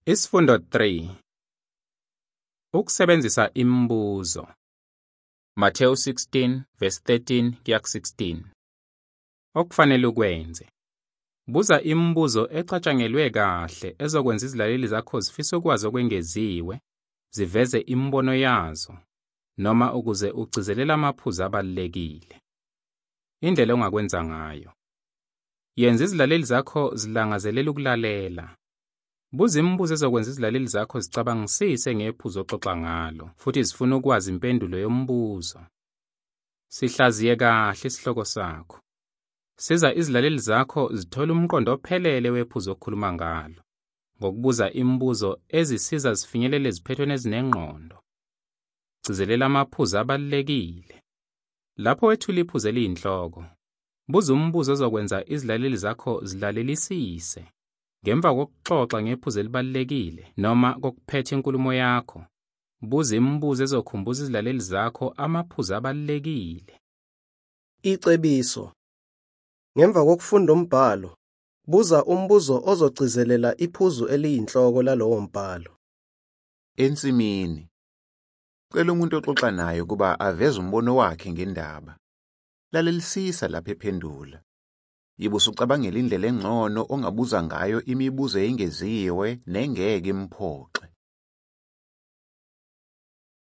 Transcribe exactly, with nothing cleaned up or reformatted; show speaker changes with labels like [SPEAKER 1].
[SPEAKER 1] Isifundo three. Ukusebenzisa imibuzo. Matthew sixteen verse thirteen kuya ku sixteen. Okufanele ukwenze. Buza imibuzo ecatshangelwe kahle ezokwenza izilaleli zakho zifise ukwazi okwengeziwe, ziveze imibono yazo, noma ukuze ugcizelele amaphuzu abalulekile. Indlela ongakwenza ngayo. Yenza izilaleli zakho zilangazelele ukulalela. Buza imibuzo ezokwenza izilaleli zakho zicabangisise ngephuzu oxoxa ngalo, futhi zifuna ukwazi impendulo yombuzo. Sihlaziye kahle isihloko sakho. Siza izilaleli zakho zithole umqondo ophelele wephuzu okhuluma ngalo, ngokubuza imibuzo ezisiza zifinyelele eziphethweni ezinengqondo. Gcizelela amaphuzu abalulekile. Lapho wethula iphuzu eliyinhloko, buza umbuzo ozokwenza izilaleli zakho zilalelisise. Ngemva kokuxoxa ngephuzu elibalulekile noma kokuphetha inkulumo yakho, buza imibuzo ezokhumbuza izilaleli zakho amaphuzu abalulekile.
[SPEAKER 2] Icebiso. Ngemva kokufunda umbhalo, buza umbuzo ozogcizelela iphuzu eliyinhloko lalowo mbhalo.
[SPEAKER 3] Ensimini. Cela umuntu oxoxa naye ukuba aveze umbono wakhe ngendaba. Lalelisisa lapho ephendula. Yibe usucabangela indlela engcono ongabuza ngayo imibuzo engeziwe nengeke imphoxe.